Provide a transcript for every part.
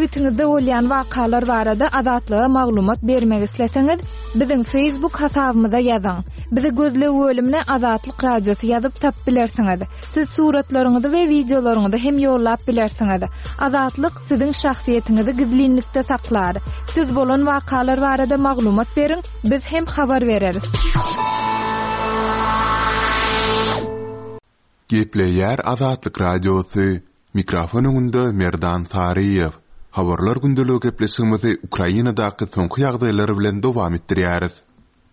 Sebitiňizde bolýan wakalar barada Azatlyga maglumat bermek isleseňiz, biziň Facebook hasabymyza ýazyň. Bizi gözleg bölümine Azatlyk Radiosy ýazyp tapyp bilersiňiz. Siz suratlaryňyzy we wideolaryňyzy hem ýollap bilersiňiz. Azatlyk siziň şahsyýetiňizi gizlinlikde saklar. Siz bolan wakalar barada maglumat beriň, biz hem habar bereris. Gepleýär Azatlyk Radiosy, Mikrofon öňünde Merdan Saryýew. Habarlar gündeligi gepleşigimizi Ukrainadaky soňky ýagdaýlar bilen dowam etdirýäris.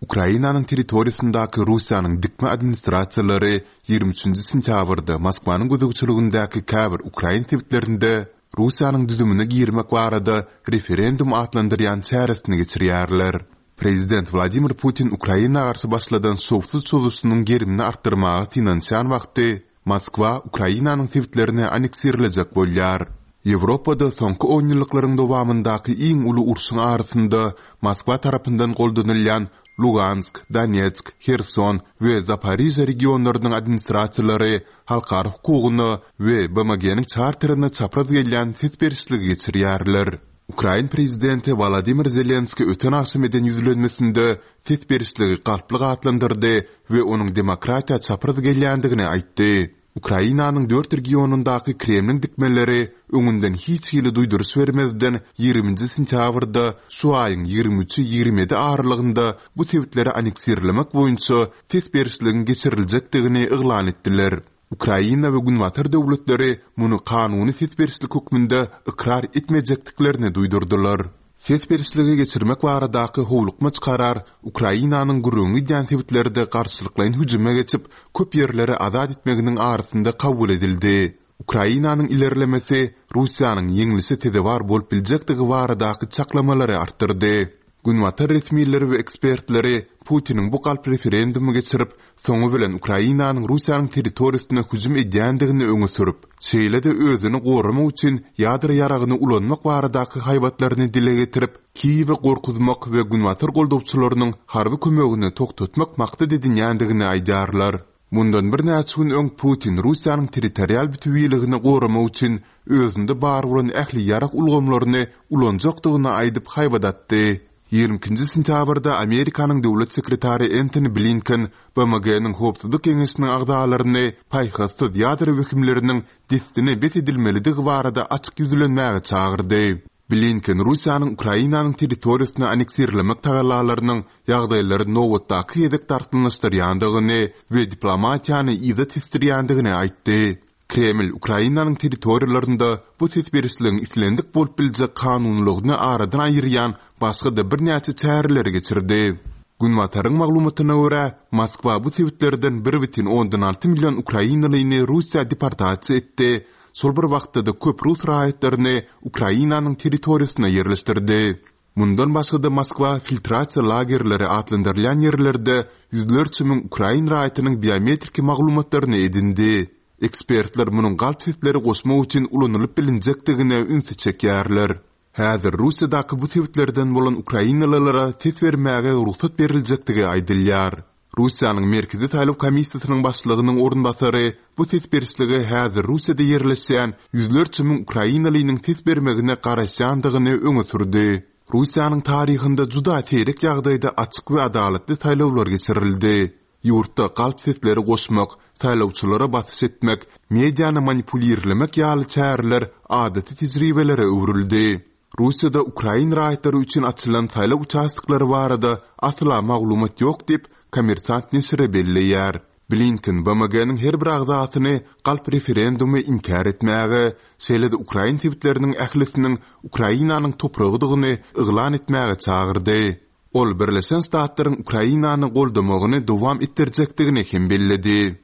Ukrainanyň territoriýasyndaky Russiýanyň dikme administrasiýalary 23-nji sentýabrda Moskwanyň gözegçiligindäki käbir ukrain sebitlerinde Russiýanyň düzümine girmek barada referendum atlandyrýan çäresini geçirýärler. Prezident Wladimir Putin Ukraina garşy başladan şowsuz çozuşynyň gerimini artdyrmaga synanyşýan wagty, Moskwa Ukrainanyň sebitlerini anneksirlejek bolýar. Ýewropada soňky onýyllyklaryň dowamyndaky iň uly urşuň arasynda Moskwa tarapyndan goldanylýan Lugansk, Donetsk, Herson we Zaporižýa regionlarynyň administrasiýalary halkara hukugyna we BMG-niň çarterine çapraz gelýän ses berişligi geçirýärler. Ukrain prezidenti Wolodymyr Zelenskiý öten agşam eden ýüzlenmesinde ses berişligi galplyk atlandyrdy we onuň demokratiýa çapraz gelýändigini aýtdy. Ukrainanyň dört regionyndaky Kremliň dikmeleri öňünden hiç hili duýduryş bermezden ýigriminji sentýabrda şu aýyň 23-i 27 aralygynda bu sebitleri anneksirlemek boýunça ses berişligiň geçiriljekdigini yglan etdiler. Ukraina we Günbatar döwletleri muny kanuny ses berişlik hökmünde ykrar etmejekdiklerini duýdurdylar. Ses berişligi geçirmek baradaky howlukmaç karar Ukrainanyň gürrüňi gidýän sebitlerde garşylyklaýyn hüjüme geçip, köp ýerleri azat etmeginiň arasynda kabul edildi. Ukrainanyň ilerlemesi Russiýanyň ýeňlişe sezewar bolup biljekdigi baradaky çaklamalary artdyrdy. Günbatar resmileri we ekspertleri Putiniň bu galp referendumy geçirip, soňy bilen Ukrainanyň Russiýanyň territoriýasyna hüjüm edýändigini öňe sürüp, şeýle-de özüni goramak üçin ýadro ýaragyny ulanmak baradaky haýbatlaryny dile getirip, Kiýewi gorkuzmak we günbatar goldawçylarynyň harby kömegini togtatmak maksat edinýändigini aýdýarlar. Mundan birnäçe gün öň Putin Russiýanyň territorial bütewiligini goramak üçin özünde bar bolan ähli ýarag ulgamlaryny ulanjakdygyny aýdyp haýbat atdy. 22-nji sentýabrda Amerikanyň döwlet sekretary Entoni Blinken BMG-niň Howpsuzlyk Geňeşiniň agzalaryny paýhassyz ýadro wehimleriniň dessine bes edilmelidigi barada açyk ýüzlenmäge çagyrdy. Blinken Russiýanyň Ukrainanyň territoriýasyny anneksirlemek tagallalarynyň ýagdaýlary nobatdaky gezek dartgynlaşdyrýandygyny we diplomatiýany yza tesdirýändigini aýtdy. Kreml Ukrainanyň territoriýalarynda bu ses berişligiň islendik bolup biljek kanunylygyny aradan aýyrýan başga-da birnäçe çäreleri geçirdi. Günbataryň maglumatyna görä, Moskwa bu sebitlerden 1,6 million ukrainalyny Russiýa deportasiýa etdi, şol bir wagtda-da köp rus raýatlaryny Ukrainanyň territoriýasyna ýerleşdirdi. Mundan başga-da Moskwa filtrasiýa lagerleri atlandyrylýan ýerlerde ýüzlerçe müň ukrain raýatynyň biometriki maglumatlaryny edindi. Ekspertler munuň galp sesleri goşmak üçin ulanylyp bilinjekdigine ünsi çekýärler. Häzir Russiýadaky bu sebitlerden bolan ukrainalylara ses bermäge rugsat beriljekdigi aýdylýar. Russiýanyň Merkezi saýlaw komissiýasynyň başlygynyň orunbasary bu ses berişlige häzir Russiýada ýerleşýän ýüzlerçe müň ukrainalynyň ses bermegine garaşýandygyny öňe sürdi. Russiýanyň taryhynda juda seýrek ýagdaýda açyk we adalatly saýlawlar geçirildi. Ýurtda galp sesleri goşmak, saýlawçylara basyş etmek, mediany manipulirlemek ýaly çäreler adaty tejribelere öwrüldi. Russiýada ukrain raýatlary üçin açylan saýlaw uçastoklary barada asla maglumat ýok diýip, Kommersant neşiri belleýär. Blinken BMG-niň her bir agzasyny galp referendumy inkär etmäge, şeýle-de ukrain sebitleriniň ählisiniň Ukrainanyň topragydygyny yglan etmäge çagyrdy. Ol Birleşen Ştatlaryň Ukrainany goldamagyny dowam etdirjekdigini hem belledi.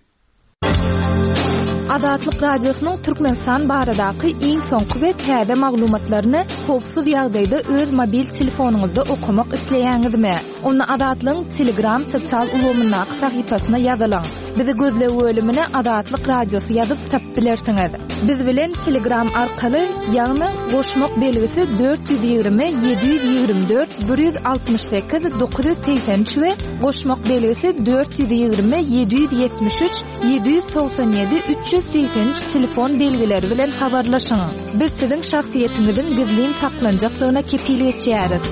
Azatlyk Radiosynyň Türkmenistan baradaky iň soňky we täze maglumatlaryny howpsuz ýagdaýda öz mobil telefonyňyzda okamak isleýäňizmi? Onda Azatlygyň Telegram sosial ulgamyndaky sahypasyna ýazylyň. Bizi gözleg bölümine Azatlyk Radiosy ýazyp tapyp bilersiňiz. Biz bilen Telegram arkaly, ýagny goşmak belgisi 420 724 168 983 we goşmak belgisi 420 773 797 383 telefon belgileri bilen habarlaşyň. Biz siziň şahsyýetiňiziň gizlin saklanjakdygyna kepil geçýäris.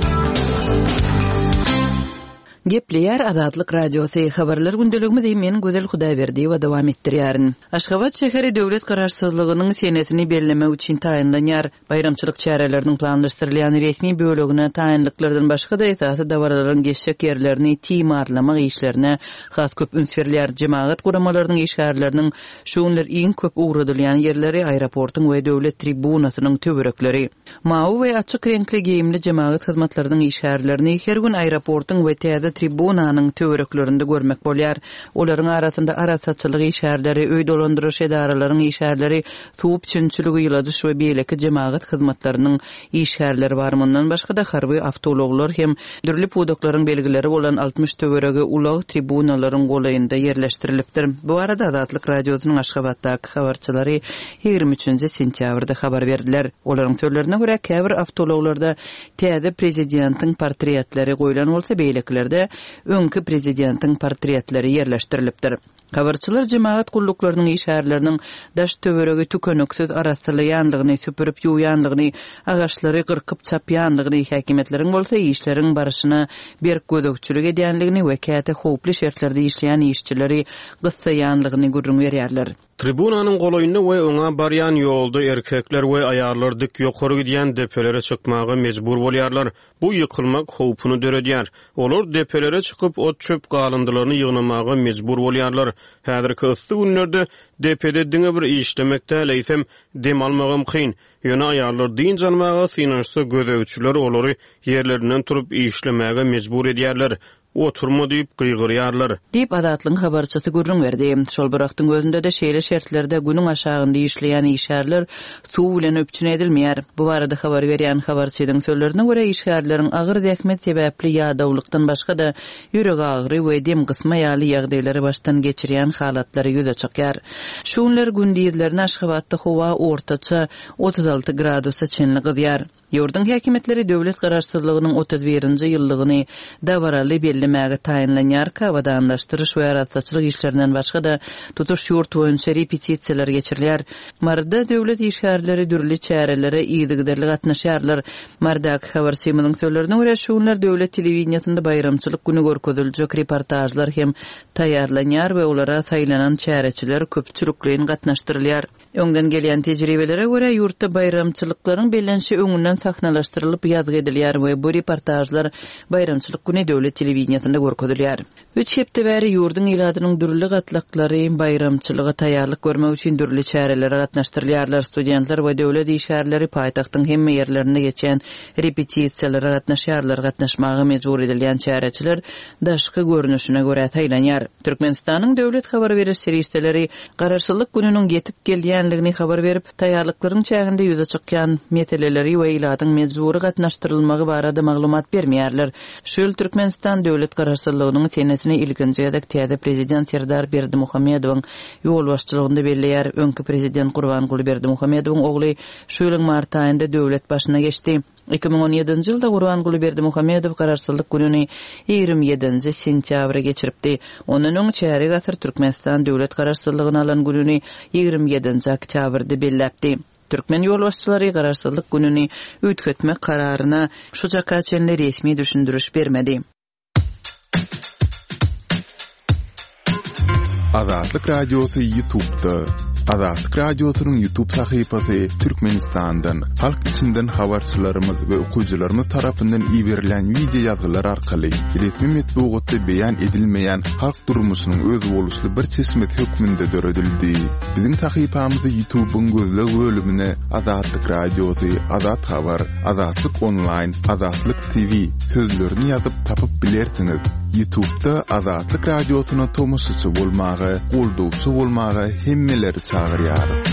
Gepleýär Azatlyk Radiosy, Habarlar gündeligimizi men Gözel Hudaýberdiýewa dowam etdirýärin. Aşgabat şäheri döwlet Garaşsyzlygynyň senesini bellemek üçin taýynlanýar. Baýramçylyk çäreleriniň planlaşdyrylýan resmi bölegine taýynlyklardan başga-da esasy dabaralaryň geçjek ýerlerini timarlamak işlerine has köp üns berilýär. Jemagat guramalarynyň işgärleriniň şu günler iň köp ugradylýan ýerleri aeroportuň we döwlet tribunasynyň töwerekleri. Mawy we açyk reňkli geýimli jemagat hyzmatlarynyň işgärlerini her gün aeroportuň we täze tribunanyň töwereklerinde görmek bolýar. Olaryň arasynda arassaçylyk işgärleri, öý dolandyryş edaralaryň işgärleri, suw üpjünçiligi, ýyladyş we beýleki jemagat hyzmatlarynyň işgärleri bar. Mundan başga-da, harby awtoulaglar hem dürli pudaklaryň belgileri bolan 60 töweregi ulag tribunalaryň golaýynda ýerleşdirilipdir. Bu barada Azatlyk Radiosynyň Aşgabatdaky habarçylary 23 sentýabrda habar berdiler. Olaryň sözlerine görä, käbir awtoulaglarda täze prezidentiň portretleri goýlan bolsa, beýlekilerde öňki prezidentiň portretleri ýerleşdirilipdir. Habarçylar jemagat gulluklarynyň işgärleriniň daş-töweregi tükeniksiz arassalaýandygyny, süpürip ýuwýandygyny, agaçlary gyrkyp çapýandygyny, häkimiýetleriň bolsa işleriň barşyna berk gözegçilik edýändigini we käte howply şertlerde işleýän işçileri gyssaýandygyny gürrüň berýärler. Tribunanyň golaýynda we oňa barýan ýolda erkekler we aýallar dik ýokary gidýän depelere çykmaga mejbur bolýarlar. Bu ýykylmak howpuny döredýär. Olar depelere çykyp, ot-çöp galyndylaryny ýygnamaga mejbur bolýarlar. Häzirki yssy günlerde depede diňe bir işlemek däl, eýsem, dem almagam kyn. Ýöne aýallar dynç almaga synanyşsa, gözegçiler olary ýerlerinden turup işlemäge mejbur edýärler. Oturma diýip gygyrýarlar. Diýip, Azatlygyň habarçysy gürrüň berdi. Şol bir wagtyň özünde-de şeýle şertlerde günüň aşagynda işleýän işgärler suw bilen üpjün edilmeýär. Bu barada habar berýän habarçynyň sözlerine görä, işgärleriň agyr zähmet sebäpli ýadawlykdan başga-da, ýüregagyry we dem gysma ýaly ýagdaýlary başdan geçirýän halatlary ýüze çykýar. Şu günler gündizlerine Aşgabatda howa ortaça 36 gradusa çenli gyzýar. Ýurduň häkimiýetleri döwlet Garaşsyzlygynyň 31-nji ýyllygyny dabaraly bellemäge taýynlanýarka, abadanlaşdyryş we arassaçylyk işlerinden başga-da, tutuş ýurt boýunça repetisiýalar geçirilýär. Maryda döwlet işgärleri dürli çärelere yzygiderli gatnaşýarlar. Marydaky habarçymyzyň sözlerine görä, şu günler döwlet telewideniýesinde baýramçylyk güni görkeziljek reportažlar hem taýýarlanýar we olara saýlanan çäreçiler köpçülikleýin gatnaşdyrylýar. Öňden gelýän tejribelere görä, ýurtda baýramçylyklaryň bellenişi öňünden sahnalaşdyrylyp ýazgy edilýär we bu reportažlar baýramçylyk güni döwlet telewideniýesinde görkezilýär. Üç hepde bäri ýurduň ilatynyň dürli gatlaklary baýramçylyga taýýarlyk görmek üçin dürli çärelere gatnaşdyrylýarlar. Studentler we döwlet işgärleri paýtagtyň hemme ýerlerinde geçýän repetisiýalara gatnaşýarlar. Gatnaşmaga mejbur edilýän çäreçiler daşky görnüşine görä saýlanýar. Türkmenistanyň döwlet habar beriş serişdeleri Garaşsyzlyk gününiň ýetip gelýänligini habar berip, taýýarlyklaryň çäginde ýüze çykýan meseleleri we ilatyň mejbury gatnaşdyrylmagy barada maglumat bermeýärler. Şu ýyl Türkmenistan döwlet Garaşsyzlygynyň senesini ilkinji gezek täze Prezident Serdar Berdimuhamedowyň ýolbaşçylygynda belleýär. Öňki Prezident Gurbanguly Berdimuhamedowyň ogly şu ýylyň mart aýynda döwlet başyna geçdi. 2017-nji ýylda Gurbanguly Berdimuhamedow Garaşsyzlyk gününi 27-nji sentýabra geçiripdi. Ondan öň çärýek asyr Türkmenistan döwlet Garaşsyzlygyny alan gününi 27-nji oktýabrda belläpdi. Türkmen ýolbaşçylary Garaşsyzlyk gününi üýtgetmek kararyna şu çaka çenli resmi düşündiriş bermedi. Azatlyk Radiosy YouTube'da. Azatlyk Radiosynyň YouTube sahypasy Türkmenistandan, halk içinden habarçylarymyz we okyjylarymyz tarapyndan iberilen wideo ýazgylar arkaly resmi metbugatda beýan edilmeýän halk durmuşynyň özboluşly bir çeşmesi hökmünde döredildi. Biziň sahypamyzy YouTube'yň gözleg bölümine Azatlyk Radiosy, Azat Habar, Azatlyk Onlaýn, Azatlyk TV sözlerini ýazyp tapyp bilersiňiz. Ýutubda Azatlyk Radiosyna tomaşaçy bolmaga, goldawçy bolmaga hemmeleri çagyrýarys.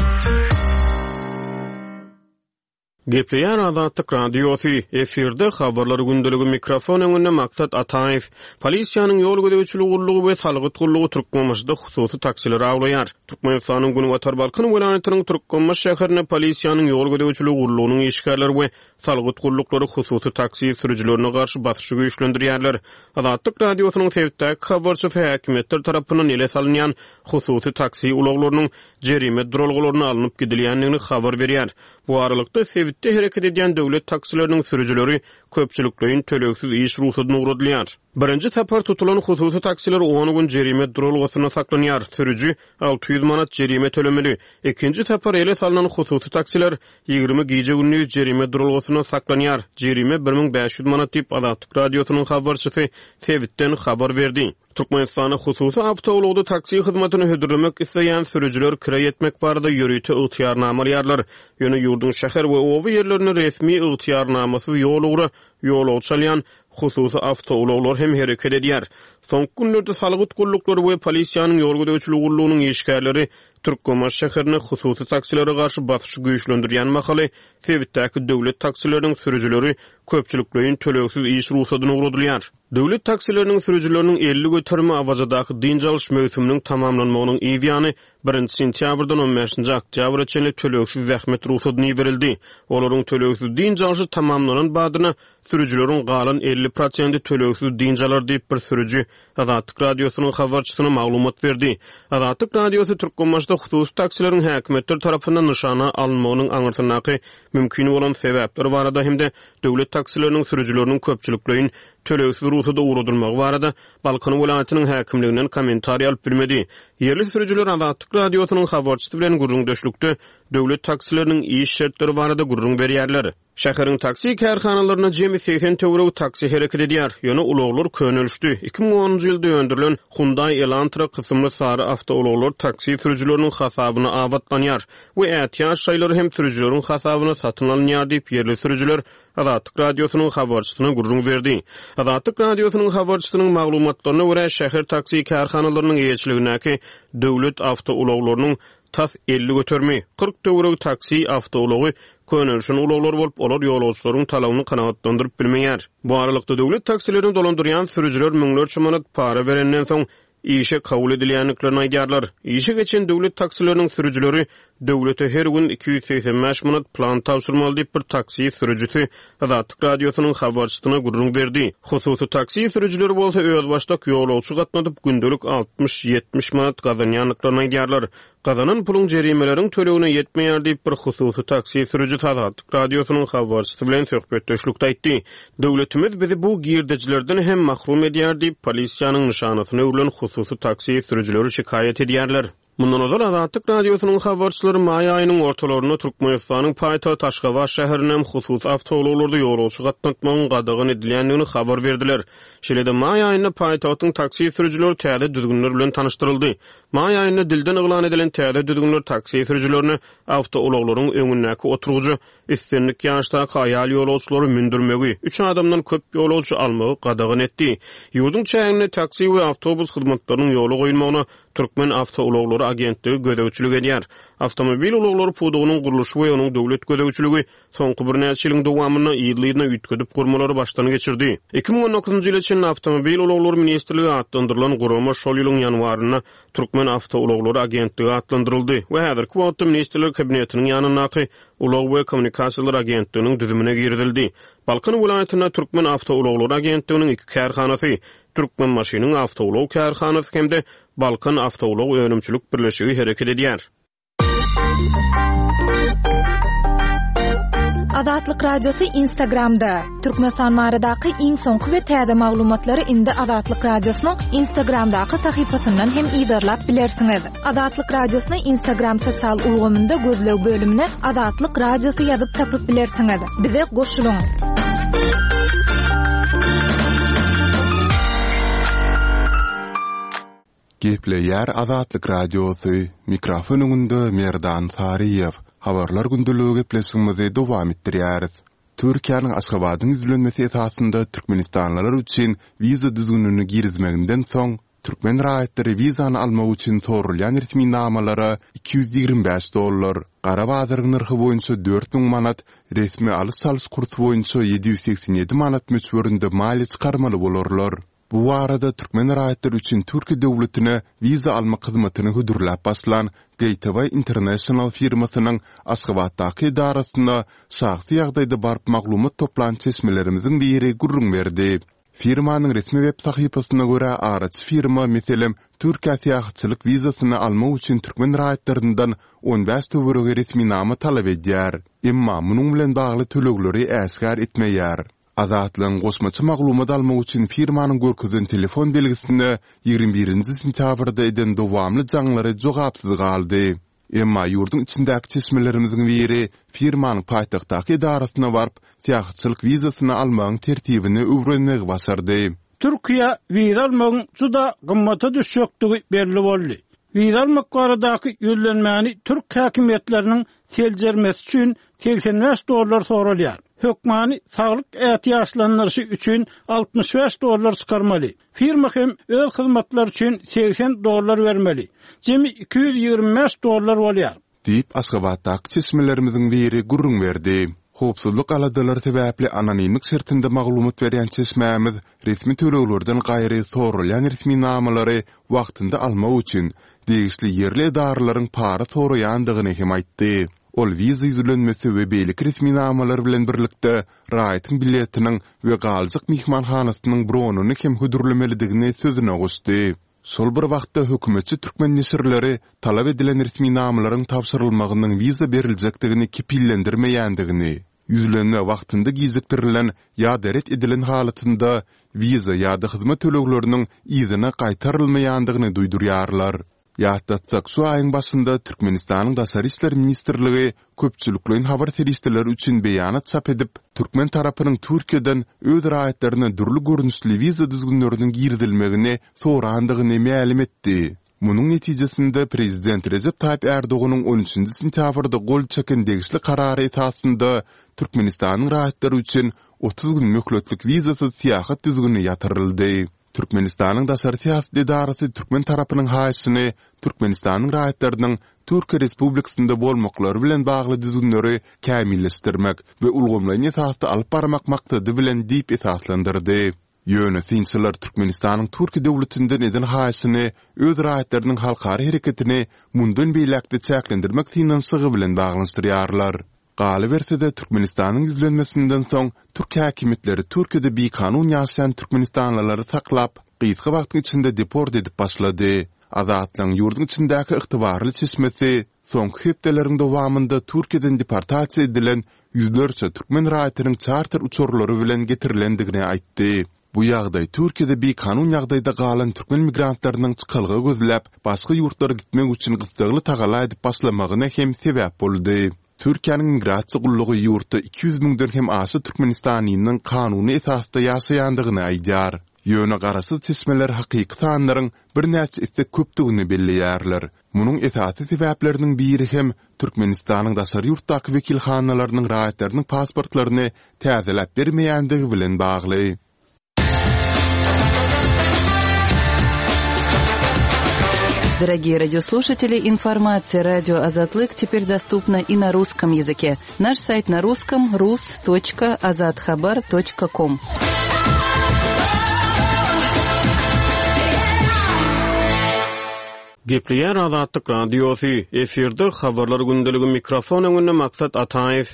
Gepleýär Azatlyk Radiosy, efirde Habarlar gündeligi mikrofon öňünde Maksat Ataýew. Polisiýanyň ýol gözegçiligi gullugy we salgyt gullugy Türkmenbaşyda hususy taksileri awlaýar. Türkmenistanyň Günbatar Balkan welaýatynyň Türkmenbaşy şäherinde polisiýanyň ýol gözegçiligi gullugynyň işgärleri we salgyt gulluklary hususy taksi sürüjilerine garşy basyşy güýçlendirýärler. Azatlyk Radiosynyň sebitdäki habarçysy häkimiýetler tarapyndan ele salynýan hususy taksi ulaglarynyň jerime duralgalaryna alnyp gidilýändigini habar berýär. Bu aralykda, sebitde hereket edýän döwlet taksileriniň sürüjileri köpçülikleýin tölegsiz iş rugsadyna ugradylýar. Birinji sapar tutulan hususy taksiler on gün jerime duralgasynda saklanýar, sürüji 600 manat jerime tölemeli. Ikinji sapar ele salnan hususy taksiler 20 gije-gündiz jerime duralgasynda saklanýar, jerime 1500 manat diýip, Azatlyk Radiosynyň habarçysy sebitden habar berdi. Türkmenistanda hususy awtoulagda taksi hyzmatyny hödürlemek isleýän sürüjiler kireý etmek barada ýörite ygtyýarnama alýarlar. Ýöne ýurduň şäher we oba ýerlerinde resmi ygtyýarnamasyz ýol ugra ýolagçy alýan hususy awtoulaglar hem hereket edýär. Soňky günlerde salgyt gulluklary we polisiýanyň ýol gözegçiligi gullugynyň işgärleri Türkmenbaşy şäherinde hususy taksilere garşy basyşy güýçlendirýän mahaly, sebitdäki döwlet taksileriniň sürüjileri köpçülikleýin tölegsiz iş rugsadyna ugradylýar. Döwlet taksileriniň sürüjileriniň 50 göterimi Awazadaky dynç alyş möwsüminiň tamamlanmagynyň yz ýany, birinji sentýabrdan on bäşinji oktýabra çenli tölegsiz zähmet rugsadyna iberildi. Olaryň tölegsiz dynç alşy tamamlanan badyna, sürüjileriň galan 50 prosenti tölegsiz dynç alar diýip, bir sürüji Azatlyk Radiosynyň habarçysyna maglumat berdi. Azatlyk Radiosy Türkmenbaşyda hususy taksileriň häkimiýetler tarapyndan nyşana alynmagynyň aňyrsyndaky mümkin bolan sebäpler barada hem-de döwlet taksileriniň sürüjileriniň köpçülikleýin tölegsiz rugsada ugradylmagy barada Balkan welaýatynyň häkimliginden kommentariý alyp bilmedi. Ýerli sürüjiler Azatlyk Radiosynyň habarçysy bilen gürrüňdeşlikde döwlet taksileriniň iş şertleri barada gürrüň berýärler. Şäheriň taksi kärhanalarynda jemi 80 töweregi taksi hereket edýär. Ýöne ulaglar könelişdi. 2010-njy ýylda öndürilen Hyundai Elantra kysymly sary awtoulaglar taksi sürüjileriniň hasabyna abatlanýar we ätiýaç şaýlary hem sürüjileriň hasabyna satyn alynýar diýip, ýerli sürüjiler Azatlyk Radiosynyň habarçysyna gürrüň berdi. Azatlyk Radiosynyň habarçysynyň maglumatlaryna görä, şäher taksi kärhanalarynyň eýeçiligindäki döwlet awtoulaglarynyň tas 50 göterimi, 40 töweregi taksi awtoulagy könelişen ulaglar bolup, olar ýolagçylaryň talabyny kanagatlandyryp bilmeýär. Bu aralykda, döwlet taksilerini dolandyrýan sürüjiler müňlerçe manat para berenden soň, işe kabul edilýändiklerini aýdýarlar. Işe geçen döwlet taksileriniň sürüjileri döwlete her gün 285 manat plan tabşyrmaly diýip, bir taksi sürüjisi Azatlyk Radiosynyň habarçysyna gürrüň berdi. Hususy taksi sürüjileri bolsa özbaşdak ýolagçy gatnadyp, gündelik altmyş-ýetmiş manat gazanýandyklaryny aýdýarlar. Gazanan puluň jerimeleriň tölegine ýetmeýär diýip, bir hususy taksi sürüjisi Azatlyk Radiosynyň habarçysy bilen söhbetdeşlikde aýtdy. Döwletimiz bizi bu girdejilerden hem mahrum edýär diýip, polisiýanyň nyşanasyna öwrülen hususy taksi sürüjileri şikaýat edýärler. Mundan ozal Azatlyk Radiosynyň habarçylary maý aýynyň ortalarynda Türkmenistanyň paýtagty Aşgabat şäherinde hem hususy awtoulaglarda ýolagçy gatnatmagyň gadagan edilýändigini habar berdiler. Şeýle-de maý aýynda paýtagtyň taksi sürüjileri täze düzgünler bilen tanyşdyryldy. Maý aýynda dilden yglan edilen täze düzgünler taksi sürüjilerine awtoulaglaryň öňündäki oturgyja islendik ýaşdaky aýal ýolagçylary mündürmegi, üç adamdan köp ýolagçy almagy gadagan etdi. Ýurduň çäginde taksi we awtobus hyzmatlarynyň ýola goýulmagyna Türkmen awtoulaglary agentligi gözegçilik edýär. Awtomobil ulaglary pudagynyň gurluşy we onuň döwlet gözegçiligi soňky birnäçe ýylyň dowamynda yzly-yzyna üýtgedip gurmalary başdan geçirdi. 2019-njy ýyla çenli Awtomobil ulaglary ministrligi atlandyrylan gurama şol ýylyň ýanwarynda Türkmen awtoulaglary agentligi atlandyryldy we häzirki wagtda Ministrler Kabinetiniň ýanyndaky Ulag we kommunikasiýalar agentliginiň düzümine girizildi. Balkan welaýatynda Türkmen awtoulaglary agentliginiň iki kärhanasy, Türkmenbaşynyň awtoulag kärhanasy hem-de Balkan awtoulag önümçilik birleşigi hereket edýär. Azatlyk Radiosy Instagramda. Türkmenistan baradaky iň soňky we täze maglumatlary indi Azatlyk Radiosynyň Instagramdaky sahypasyndan hem yzarlap bilersiňiz. Azatlyk Radiosyny Instagram sosial ulgamynda gözleg bölümine Azatlyk Radiosy ýazyp tapyp bilersiňiz. Bize goşulyň! Gepleýär Azatlyk Radiosy, mikrofon öňünde Merdan Saryýew. Habarlar gündeligi gepleşigimizi dowam etdirýäris. Türkiýäniň Aşgabadyň ýüzlenmesi esasynda türkmenistanlylar üçin wiza düzgünini girizmeginden soň, Türkmen raýatlary wizany almak üçin soralýan resminamalara 225 dollar, gara bazaryň nyrhy boýunça 4000 manat, resmi alyş-çalyş kursy boýunça 787 manat möçberinde maliýe çykarmaly bolarlar. Bu barada türkmen raýatlary üçin Türkiýe döwletine wiza almak hyzmatyny hödürläp başlan Gateway International firmasynyň Aşgabatdaky edarasyna şahsy ýagdaýda baryp maglumat toplan çeşmelerimiziň biri gürrüň berdi. Firmanyň resmi web sahypasyna görä, araçy firma, meselem, Türkiýä syýahatçylyk wizasyny almak üçin türkmen raýatlaryndan 15 töweregi resminama talap edýär. Emma munuň bilen bagly tölegleri äşgär etmeýär. Azatlygyň goşmaça maglumat almak üçin firmanyň görkezen telefon belgisine 21-nji sentýabrda eden dowamly jaňlary jogapsyz galdy. Emma ýurduň içindäki çeşmelerimiziň biri firmanyň paýtagtdaky edarasyna baryp, syýahatçylyk wizasyny almagyň tertibini öwrenmegi başardy. Türkiýä wiza almagyň juda gymmata düşjekdigi belli boldy. Wiza almak baradaky ýüzlenmäni türk häkimiýetleriniň seljermesi üçin 85 dollar soralýar. Hökmany saglyk ätiýaçlandyryşy üçin 65 dollar çykarmaly. Firma hem öz hyzmatlary üçin 80 dollar bermeli. Jemi 225 dollar bolýar. Diýip, Aşgabatdaky çeşmelerimiziň biri gürrüň berdi. Howpsuzlyk aladalary sebäpli anonimlik şertinde maglumat berýän çeşmämiz resmi töleglerden gaýry soralýan resminamalary wagtynda almak üçin degişli ýerli edaralaryň para soraýandygyny hem aýtdy. Ol wiza ýüzlenmesi we beýleki resminamalar bilen birlikde raýatyň biletiniň we galjak myhmanhanasynyň bronyny hem hödürlemelidigini sözüne goşdy. Şol bir wagtda, hökümetçi türkmen neşirleri talap edilen resminamalaryň tabşyrylmagynyň wiza beriljekdigini kepillendirmeýändigini, ýüzlenme wagtynda gijikdirilen ýa-da ret edilen halatynda wiza ýa-da hyzmat tölegleriniň yzyna gaýtarylmaýandygyny duýdurýarlar. Ýatlatsak, şu aýyň başynda Türkmenistanyň Daşary işler ministrligi köpçülikleýin habar serişdeleri üçin beýanat çap edip, türkmen tarapynyň Türkiýeden öz raýatlaryna dürli görnüşli wiza düzgünleriniň girizilmegini sorandygyny mälim etdi. Munuň netijesinde, prezident Rejep Taýyp Ärdoganyň on üçünji sentýabrda gol çeken degişli karary esasynda Türkmenistanyň raýatlary üçin 30 gün möhletlik wizasyz syýahat düzgüni ýatyryldy. Türkmenistanyň daşary syýasat edarasy türkmen tarapynyň haýyşyny Türkmenistanyň raýatlarynyň Türkiýe Respublikasynda bolmaklary bilen bagly düzgünleri kämilleşdirmek we ulgamlaýyn esasda alyp barmak maksady bilen diýip esaslandyrdy. Ýöne synçylar Türkmenistanyň Türkiýe döwletinden eden haýyşyny öz raýatlarynyň halkara hereketini mundan beýläk-de çäklendirmek synanyşygy bilen baglanyşdyrýarlar. Galyberse-de, Türkmenistanyň ýüzlenmesinden soň, türk häkimiýetleri Türkiýede bikanun ýaşaýan türkmenistanlylary saklap, gysga wagtyň içinde deport edip başlady. Azatlygyň ýurduň içindäki ygtybarly çeşmesi soňky hepdeleriň dowamynda Türkiýeden deportasiýa edilen ýüzlerçe türkmen raýatynyň çarter uçarlary bilen getirilendigini aýtdy. Bu ýagdaý Türkiýede bikanun ýagdaýda galan türkmen migrantlarynyň çykalga gözläp, başga ýurtlara gitmek üçin gyssagly tagalla edip başlamagyna hem sebäp boldy. Türkiýäniň Migrasiýa gullugy ýurtda 200 müňden hem aşa türkmenistanlynyň kanuny esasda ýaşaýandygyny aýdýar. Ýöne garaşsyz çeşmeler hakyky sanlaryň birnäçe esse köpdügini belleýärler. Munuň esasy sebäpleriniň biri hem Türkmenistanyň daşary ýurtdaky wekilhanalarynyň raýatlarynyň pasportlaryny täzeläp bermeýändigi bilen bagly. Дорогие радиослушатели, информация радио Азатлык теперь доступна и на русском языке. Наш сайт на русском rus.azathabar.com. Gepleýär Azatlyk Radiosy, efirde Habarlar gündeligi mikrofon öňünde Maksat Ataýew.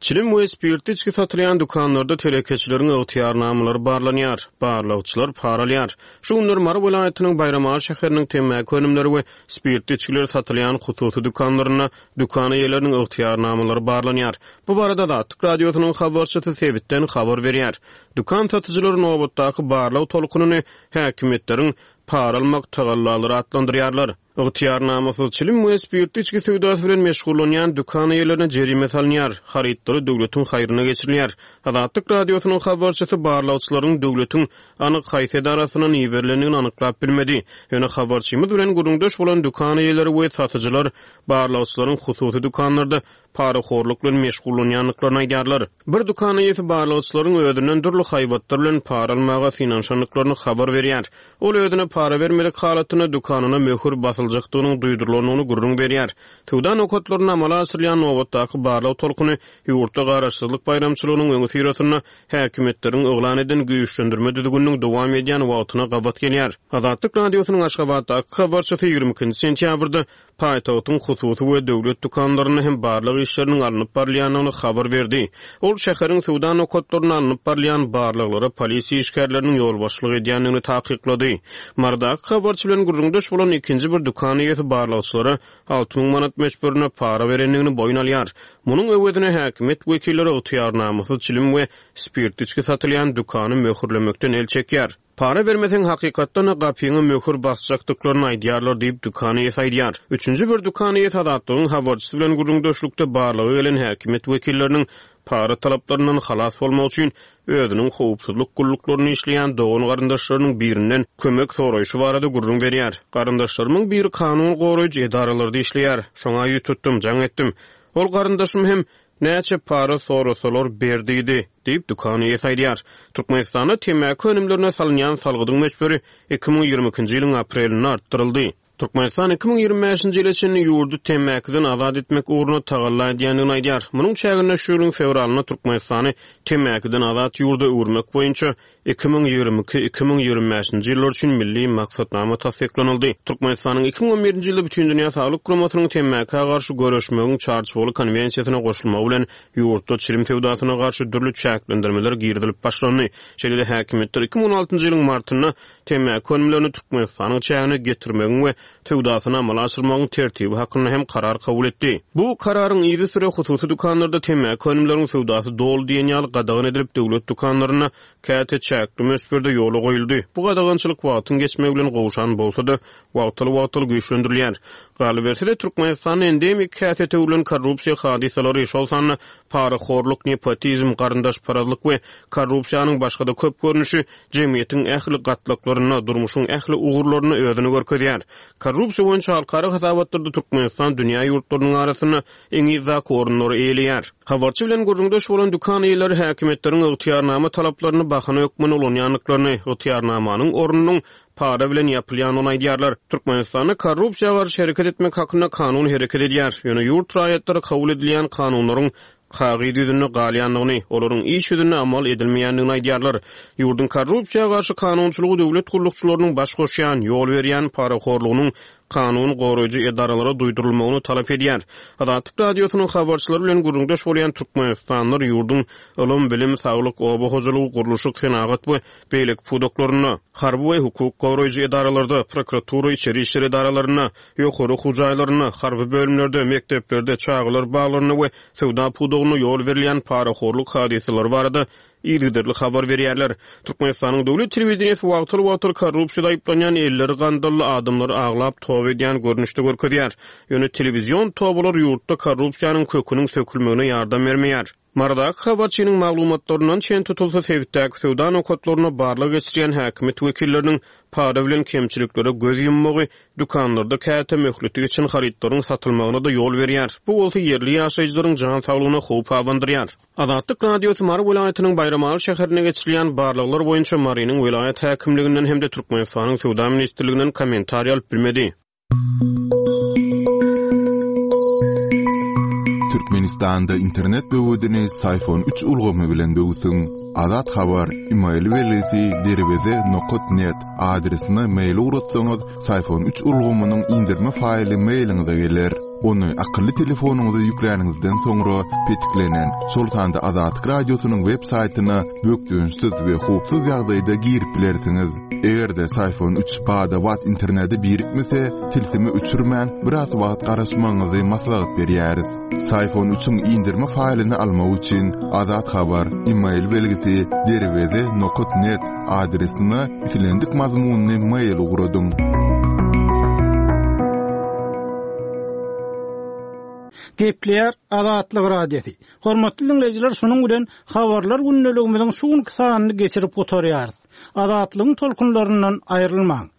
Çilim we spirtli içgi satylýan dükanlarda telekeçileriň ygtyýarnamalary barlanýar, barlagçylar para alýar. Şu günler Mary welaýatynyň Baýramaly şäheriniň temmäki önümleri we spirtli içgiler satylýan hususy dükanlarynda dükan eýeleriniň ygtyýarnamalary barlanýar. Bu barada Azatlyk Radiosynyň habarçysy sebitden habar berýär. Dükan satyjylary nobatdaky barlag tolkunyny häkimiýetleriň para almak tagallalary atlandyrýarlar. Ygtyýarnamasyz çilim we spirtli içgi söwdasy bilen meşgullanýan dükan eýelerine jerime salynýar, harytlary döwletiň haýryna geçirilýär. Azatlyk Radiosynyň habarçysy barlagçylaryň döwletiň anyk haýsy edarasyndan iberilendigini anyklap bilmedi. Ýöne habarçymyz bilen gürrüňdeş bolan dükan eýeleri we satyjylar barlagçylaryň hususy dükanlarda. parahorluk bilen meşgullanýandyklaryny aýdýarlar. Bir dükan eýesi barlagçylaryň özünden dürli haýbatlar bilen para almaga synanyşandyklaryny habar berýär. Ol özüne para bermedik halatynda dükanyna möhür basyljakdygynyň duýdurylandygyny gürrüň berýär. Söwda nokatlarynda amala aşyrylýan nobatdaky barlag tolkuny ýurtda Garaşsyzlyk baýramçylygynyň öňüsyrasynda häkimiýetleriň yglan eden güýçlendirme düzgüniniň dowam edýän wagtyna gabat gelýär. Azatlyk Radiosynyň Aşgabatdaky habarçysy 22-nji sentýabrda paýtagtyň hususy we döwlet dükanlarynda hem barlag işleriniň alnyp barylýandygyny habar berdi. Ol şäheriň söwda nokatlarynda alnyp barylýan barlaglara polisiýa işgärleriniň ýolbaşçylyk edýändigini takyklady. Marydaky habarçy bilen gürrüňdeş bolan ikinji bir dükan eýesi barlagçylara 6000 manat möçberinde para berendigini boýun alýar. Munuň öwezine häkimiýet wekilleri ygtyýarnamasyz çilim we spirtli içgi satylýan dükany möhürlemekden el çekýär. Para bermeseň hakykatdan-da gapyňa möhür basjakdyklaryny aýdýarlar diýip, dükan eýesi aýdýar. Üçünji bir dükan eýesi Azatlygyň habarçysy bilen gürrüňdeşlikde barlaga gelen häkimiýet wekilleriniň para talaplaryndan halas bolmak üçin özüniň howpsuzlyk gulluklarynda işleýän dogan-garyndaşlarynyň birinden kömek soraýşy barada gürrüň berýär. Garyndaşlarymyň biri kanun goraýjy edaralarda işleýär. Şoňa ýüz tutdum, jaň etdim. Ol garyndaşym hem Näçe para sorasalar ber diýdi, diýip, dükan eýesi aýdýar. Türkmenistanda temmäki önümlerine salynýan salgydyň möçberi 2022-nji ýylyň aprelinde artdyryldy. Türkmenistan 2025-nji ýyla çenli ýurdy temmäkiden azat etmek ugrunda tagalla edýändigini aýdýar. Munuň çäginde şu ýylyň fewralynda Türkmenistany temmäkiden azat ýurda öwürmek boýunça 2022, 2025-nji ýyllar üçin Milli maksatnama tassyklanyldy. Türkmenistanyň 2011-nji ýylda Bütindünýä Saglyk Guramasynyň temmäkä garşy göreşmegiň Çarçuwaly konwensiýasyna goşulmagy bilen ýurtda çilim söwdasyna garşy dürli çäklendirmeler girizilip başlandy. Şeýle-de häkimiýetler 2016-njy ýylyň martynda temmäki önümlerini Türkmenistanyň çägine getirmegiň we söwdasyny amala aşyrmagyň tertibi hakynda hem karar kabul etdi. Bu kararyň yzysüre hususy dükanlarda temmäki önümleriň söwdasy doly diýen ýaly gadagan edilip, döwlet dükanlarynda käte çäkli möçberde ýola goýuldy. Bu gadagançylyk wagtyň geçmegi bilen gowşan bolsa-da, wagtal-wagtal güýçlendirilýär. Galyberse-de, Türkmenistanda endemik häsiýete öwrülen korrupsiýa hadysalary, şol sanda parahorluk, nepotizm, garyndaşparazlyk we korrupsiýanyň başga-da köp görnüşi jemgyýetiň ähli gatlaklarynda, durmuşyň ähli ugurlarynda özüni görkezýär. Korrupsiýa boýunça halkara hasabatlarda Türkmenistan dünýä ýurtlarynyň arasynda iň yzdaky orunlary eýeleýär. Habarçy bilen gürrüňdeş bolan dükan eýeleri häkimiýetleriň ygtyýarnama talaplaryny bahana hökmünde ulanýandyklaryny, ygtyýarnamanyň ornunyň para bilen ýapylýandygyny aýdýarlar. Türkmenistanda korrupsiýa garşy hereket etmek hakynda kanun hereket edýär. Ýöne ýurt raýatlary kabul edilýän kanunlaryň kagyz ýüzünde galýandygyny, olaryň iş ýüzünde amal edilmeýändigini aýdýarlar. Ýurduň korrupsiýa garşy kanunçylygy döwlet gullukçylarynyň baş goşýan, ýol berýän parahorlugynyň kanun goraýjy edaralara duýdurylmagyny talap edýär. Azatlyk Radiosynyň habarçylary bilen gürrüňdeş bolýan türkmenistanlylar ýurduň ylym, bilim, saglyk, oba hojalygy, gurluşyk, senagat we beýleki pudaklarynda, harby we hukuk goraýjy edaralarda, prokuratura, içeri işler edaralarynda, ýokary okuw jaýlarynda, harby bölümlerde, mekdeplerde, çagalar baglarynda we söwda pudagynda ýol berilýän parahorluk hadysalary barada yzygiderli habar berýärler. Türkmenistanyň döwlet telewideniýesi wagtal-wagtal korrupsiýada aýyplanýan elleri gandally adamlary aglap toba edýän görnüşde görkezýär. Ýöne telewizion tobalar ýurtda korrupsiýanyň köküniň sökülmegine ýardam bermeýär. Marydaky habarçynyň maglumatlaryndan çen tutulsa, sebitdäki söwda nokatlarynda barlag geçirýän häkimiýet wekilleriniň para bilen kemçiliklere göz ýummagy dükanlarda käte möhleti geçen harytlaryň satylmagyna-da ýol berýär. Bu bolsa ýerli ýaşaýjylaryň jan saglygyna howp abandyrýar. Azatlyk Radiosy Mary welaýatynyň Baýramaly şäherinde geçirilýän barlaglar boýunça Marynyň welaýat häkimliginden hem-de Türkmenistanyň Söwda ministrliginden kommentariý alyp bilmedi. Türkmenistanda internet böwedini Syfon 3 ulgamy bilen böwsüň. Azat Habar, email belgisi derweze nokat net adresine mail ugratsaňyz, Syfon 3 ulgamynyň indirme faýly mailiňize geler. Ony akylly telefonyňyza ýükläniňizden soňra petiklenen, şol sanda Azatlyk Radiosynyň web saýtyna bökdençsiz we howpsuz ýagdaýda girip bilersiňiz. Eger-de Syfon 3 bada-bat internete birikmese, tilsimi öçürmän, biraz wagt garaşmagyňyzy maslahat berýäris. Syfon 3-iň indirme faýlyny almak üçin Azat Habar, email belgisi derweze nokat net adresine islendik mazmunly mail ugradyň. Gepleýär Azatlyk Radiosy. Hormatly diňleýjiler, şunuň bilen Habarlar gündeligimiziň şu günki sanyny geçirip gutarýarys. Azatlygyň tolkunlaryndan aýrylmaň!